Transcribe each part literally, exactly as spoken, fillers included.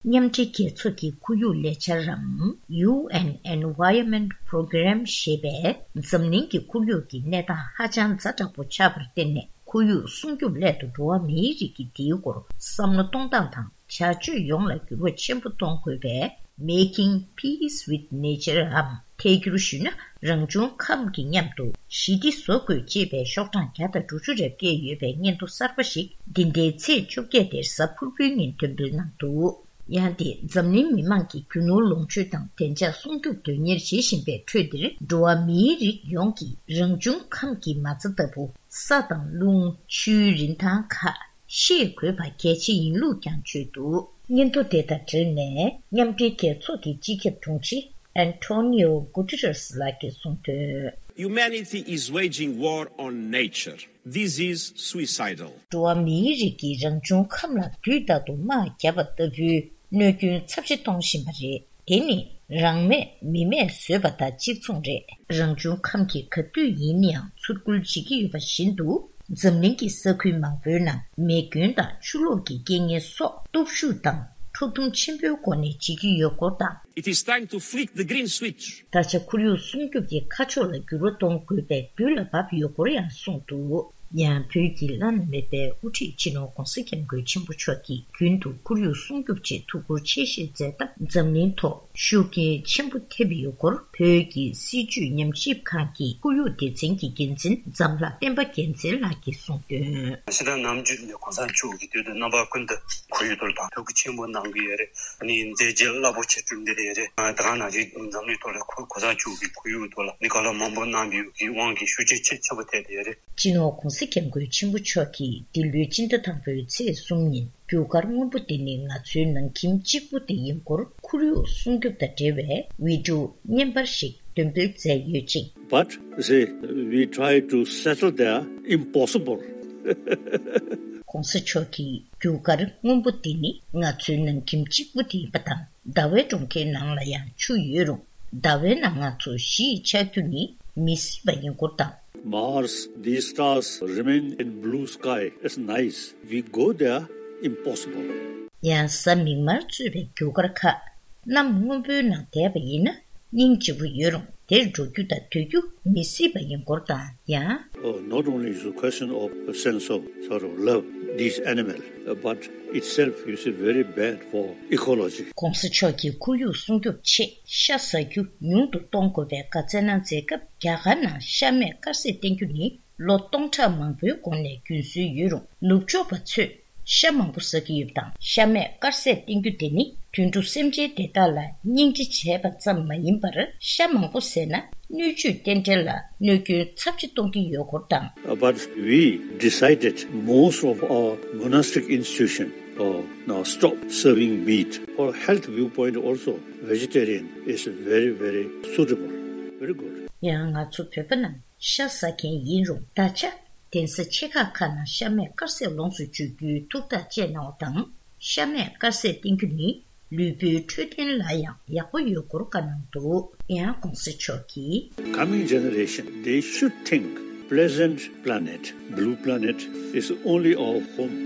མཉམ་འབྲེལ་རྒྱལ་ཚོགས་ཀྱི་ཁོར་ཡུག་ལས་འཆར་རམ། ཡུ་ཨེན་Environment Program ཞེས་པས་འཛམ་གླིང་གི་ཁོར་ཡུག་གི་གནས་སྟངས་ཧ་ཅང་ཛ་དྲག་པོ་ཆགས་པར་བརྟེན་ནས། ཁོར་ཡུག་སྲུང་སྐྱོབ་སླད་དུ་འགྲོ་བ་མིའི་རིགས་ཀྱིས་དེའི་སྐོར་བསམ་བློ་གཏོང་སྟངས་དང་བྱ་སྤྱོད་ཡོངས་ལ་འགྱུར་བ་ཆེན་པོ་གཏོང་དགོས་པས། Making Peace with Nature འམ། ཐད་སྒྱུར་ཞུས་ན། རང་བྱུང་ཁམས་ཀྱི་མཉམ་དུ་ཞི་བདེ་བཟོ་དགོས་ཅེས་པའི་ཤོག་གྲངས་བརྒྱ་དང་དྲུག་ཅུ་རེ་བརྒལ་ཡོད་པའི་སྙན་ཐོ་གསར་པ་ཞིག་འདི་ཟླའི་ཚེས་བཅོ་བརྒྱད་དེར་གཟའ་ཕུར་བུའི་ཉིན་འདོན་སྤེལ་གནང་འདུག་ཡང་དེ་འཛམ་གླིང་མི་མང་གིས་རྒྱུ་ནོར་ལོངས་སྤྱོད་དང་བདེ་འཇགས་སྲུང་སྐྱོབ་དོན་གཉེར་བྱེད་བཞིན་པའི་ཁྲོད་འདིར། འགྲོ་བ་མིའི་རིགས་ཡོངས་ཀྱིས་རང་བྱུང་ཁམས་ཀྱི་མ་རྩ་ལྟ་བུ་ས་དང་རླུང་། ཆུའི་རིན་ཐང་ཁག་ཤེས་དགོས་པ་གལ་ཆེ་ཡིན་ལུགས་ཀྱང་བརྗོད་འདུག་སྙན་ཐོ་དེ་དང་འབྲེལ་ནས་མཉམ་འབྲེལ་རྒྱལ་ཚོགས་ཀྱི་སྤྱི་ཁྱབ་དྲུང་ཆེ་Antonio Guterres ལགས་ཀྱིས་གསུངས་དོན། Humanity is waging war on nature. This is suicidal. འགྲོ་བ་མིའི་རིགས་ཀྱིས་རང་བྱུང་ཁམས་ལ་དུས་རྟག་ཏུ་དམག་བརྒྱབ་པ་ལྟ་བུའི་གནོད་སྐྱོན་ཚབས་ཆེ་གཏོང་བཞིན་པ་རེད། དེ་ནི་རང་མེད་མི་མེད་བཟོས་པ་དང་གཅིག་མཚུངས་རེད། རང་བྱུང་ཁམས་ཀྱིས་ག་དུས་ཡིན་ཡང་ཚུར་རྒོལ་བྱེད་ཀྱི་ཡོད་པ་བཞིན་དུ། འཛམ་གླིང་གི་ས་ཁུལ་མང་པོའི་ནང་མེ་སྐྱོན་དང་ཆུ་ལོག་གི་རྐྱེན་ངན་སོགས་སྟོབས་ཤུགས་དང་འཁྲུག་སྡོམ་ཆེན་པོའི་སྒོ་ནས་བྱེད་ཀྱི་ཡོད་སྐོར་དང་། It is time to flick the green switch. ད་ཆ་ཁོར་ཡུག་སྲུང་སྐྱོབ་ཀྱི་ཁ་ཕྱོགས་ལ་འགྱུར་བ་གཏོང་དགོས་པའི་དུས་ལ་བབ་ཡོད་སྐོར་ཡང་གསུངས་འདུག་ཡང་བོད་ཀྱི་བླ་ན་མེད་པའི་དབུ་ཁྲིད་སྤྱི་ནོར་༧གོང་ས་༧སྐྱབས་མགོན་ཆེན་པོ་མཆོག་གིས་རྒྱུན་དུ་ཁོར་ཡུག་སྲུང་སྐྱོབ་ཆེད་ཐུགས་ཁུར་ཆེ་བཞེས་མཛད་སྟབས་འཛམ་གླིང་ཐོག་ཤུགས་རྐྱེན་ཆེན་པོ་ཐེབས་ཡོད་སྐོར། བོད་ཀྱི་སྲིད་བྱུས་ཉམས་ཞིབ་ཁང་གི་ཁོར་ཡུག་སྡེ་ཚན་གྱི་འགན་འཛིན་ཛམ་ལྷ་བསྟན་པ་རྒྱལ་མཚན་ལགས་ཀྱིས་གསུངས་དོན། ཕྱི་ཟླ་ནམ་རྒྱུན་ནས་གོང་ས་མཆོག་གིས་དུས་དང་རྣམ་པ་ཀུན་ཏུ་ཁོར་ཡུག་ཐོག་ལ་ཐུགས་ཁུར་ཆེན་པོ་གནང་གི་ཡོད་རེད། ཨ་ནི་མཛད་རྗེས་རླབས་པོ་ཆེ་བསྐྲུན་གྱི་ཡོད་རེད། ད་ག་ནང་བཞིན་འཛམ་གླིང་ཐོག་ལ་ཁོ་གོང་ས་མཆོག་གིས་ཁོར་ཡུག་ཐོག་ལ་ལས་ཀ་ལ་མང་པོ་གནང་བའི་དབང་གིས་ཤུགས་རྐྱེན་ཆེ་ཆེན་པོ་ཐེབས་ཡོད་རེད། སྤྱི་ནོར་༧གོང་ས་༧སྐྱབས་མགོན་ཆེན་པོ་མཆོག་གིས་འདི་ལོའི་སྤྱི་ཟླ་དང་པོའི་ཚེས་གསུམ་ཉིན་རྒྱུ་སྐར་སྔོན་པོ་འདི་ནི་ང་ཚོའི་ནང་ཁྱིམ་གཅིག་པུ་དེ་ཡིན་སྐོར་ཁོར་ཡུག་སྲུང་སྐྱོབ་དང་འབྲེལ་བའི་བི་ཌིའོ་བརྙན་པར་ཞིག་འདོན་སྤེལ་མཛད་ཡོད་ཅིང་། But, see, we try to settle there, impossible. གོང་ས་མཆོག་གིས་རྒྱུ་སྐར་སྔོན་པོ་འདི་ནི་ང་ཚོའི་ནང་ཁྱིམ་གཅིག་པུ་དེ་ཡིན་པ་དང་། ཟླ་བའི་གྲོང་ཁྱེར་ནང་ལ་ཡང་ཆུ་ཡོད་རུང་། ཟླ་བའི་ནང་ང་ཚོ་གཞིས་ཆགས་རྒྱུ་ནི་མི་སྲིད་པ་ཡིན་སྐོར་དང་། Mars, these stars remain in blue sky. It's nice. We go there, impossible. ཡང་གཟའ་མིག་དམར་གཙོས་པའི་རྒྱུ་སྐར་ཁག་གནམ་སྔོན་པོའི་ནང་བསྡད་པ་ཡིན་ན། སྙིང་རྗེ་པོ་ཡོད་རུང་དེར་འགྲོ་རྒྱུ་དང་སྡོད་རྒྱུ་མི་སྲིད་པ་ཡིན་སྐོར་དང་། ཡང་། Oh, not only is a question of a sense of sort of love, these animals, uh, but itself is very bad for ecology. གོང་ས་མཆོག་གིས་ཁོར་ཡུག་སྲུང་སྐྱོབ་ཆེད་ཤ་ཟ་རྒྱུ་ཉུང་དུ་གཏོང་དགོས་པའི་བཀའ་སྩལ་གནང་མཛད་སྐབས། རྒྱ་གར་ནང་ཤ་མེད་དཀར་ཟས་བསྟེན་རྒྱུ་ནི་ལོ་སྟོང་ཕྲག་མང་པོའི་གོང་ནས་རྒྱུན་སྲོལ་ཡོད་རུང་། ནུབ་ཕྱོགས་པ་ཚོས་ཤ་མང་པོ་ཟ་གི་ཡོད་པ་དང་། ཤ་མེད་དཀར་ཟས་བསྟེན་རྒྱུ་དེ་ནི་དུད་འགྲོ་སེམས་ཅན་དེ་དག་ལ་སྙིང་རྗེ་བྱས་པ་ཙམ་མ་ཡིན་པར། ཤ་མང་པོ་ཟས་ན་སྣོད་བཅུད་རྟེན་འབྲེལ་ལ་གནོད་སྐྱོན་ཚབས་ཆེ་གཏོང་གི་ཡོད་སྐོར་དང་། Uh, but we decided most of our monastic institution, uh, now stop serving meat. For health viewpoint also, vegetarian is very, very suitable. Very good. ཡང་ང་ཚོ་བོད་པ་རྣམས་ཤ་ཟ་མཁན་ཡིན་རུང་། ད་ཆ་གདན་ས་ཆེ་ཁག་ཁག་ནང་ཤ་མེད་དཀར་ཟས་ལོངས་སུ་སྤྱོད་རྒྱུའི་ཐུགས་ཐག་བཅད་གནང་བ་དང་། ཤ་མེད་དཀར་ཟས་བསྟེན་རྒྱུ་ནི་ལུས་པོའི་འཕྲོད་བསྟེན་ལ་ཡང་ཡག་པོ་ཡོད་སྐོར་བཀའ་གནང་འདུག་ཡང་གོང་ས་མཆོག་གིས། Coming generation, they should think pleasant planet, blue planet is only our home.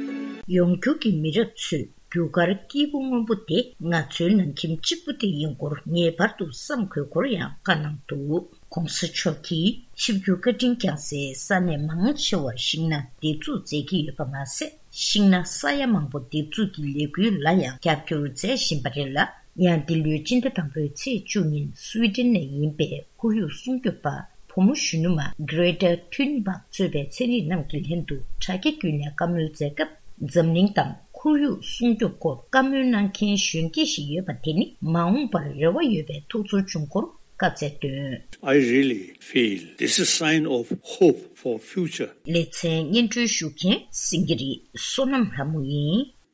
ཡོང་འགྱུར་གྱི་མི་རབས་ཚོས་རྒྱུ་སྐར་སྐྱིད་པོ་སྔོན་པོ་དེ་ང་ཚོའི་ནང་ཁྱིམ་གཅིག་པུ་དེ་ཡིན་སྐོར་ངེས་པར་དུ་བསམ་དགོས་སྐོར་ཡང་བཀའ་གནང་འདུག་གོང་ས་མཆོག་གིས་ཆིབས་བསྒྱུར་བཀའ་དྲིན་བསྐྱངས་སའི་ས་གནས་མང་ཆེ་བར་ཤིང་སྣ་འདེབས་འཛུགས་མཛད་ཀྱི་ཡོད་པ་མ་ཟད། ཤིང་སྣ་ས་ཡ་མང་པོ་འདེབས་འཛུགས་ཀྱི་ལས་འགུལ་ལ་ཡང་རྒྱབ་སྐྱོར་མཛད་བཞིན་པ་རེད་ལ། ཡང་འདི་ལོའི་སྤྱི་ཟླ་དང་པོའི་ཚེས་བཅུ་ཉིན་སུའི་ཌེན་ནས་ཡིན་པའི་ཁོར་ཡུག་སྲུང་སྐྱོབ་པ་བུ་མོ་གཞོན་ནུ་མ་Greta Thunberg གཙོས་པའི་ཚན་རིག་རྣམས་ཀྱི་ལྷན་དུ་དྲ་རྒྱ་བརྒྱུད་ནས་བཀའ་མོལ་མཛད་སྐབས། འཛམ་གླིང་དང་ཁོར་ཡུག་སྲུང་སྐྱོབ་སྐོར་བཀའ་མོལ་གནང་མཁན་གཞོན་སྐྱེས་ཤིག་ཡོད་པ་དེ་ནི་མ་འོངས་པར་རེ་བ་ཡོད་པའི་ཐུགས་ཚོར་བྱུང་སྐོར་བཀའ་སྩལ་དོན། I really feel this is sign of hope for future. ལེ་ཚན་སྙན་སྒྲོན་ཞུ་མཁན་སེང་གེ་རི་བསོད་ནམས་ལྷ་མོ་ཡིན།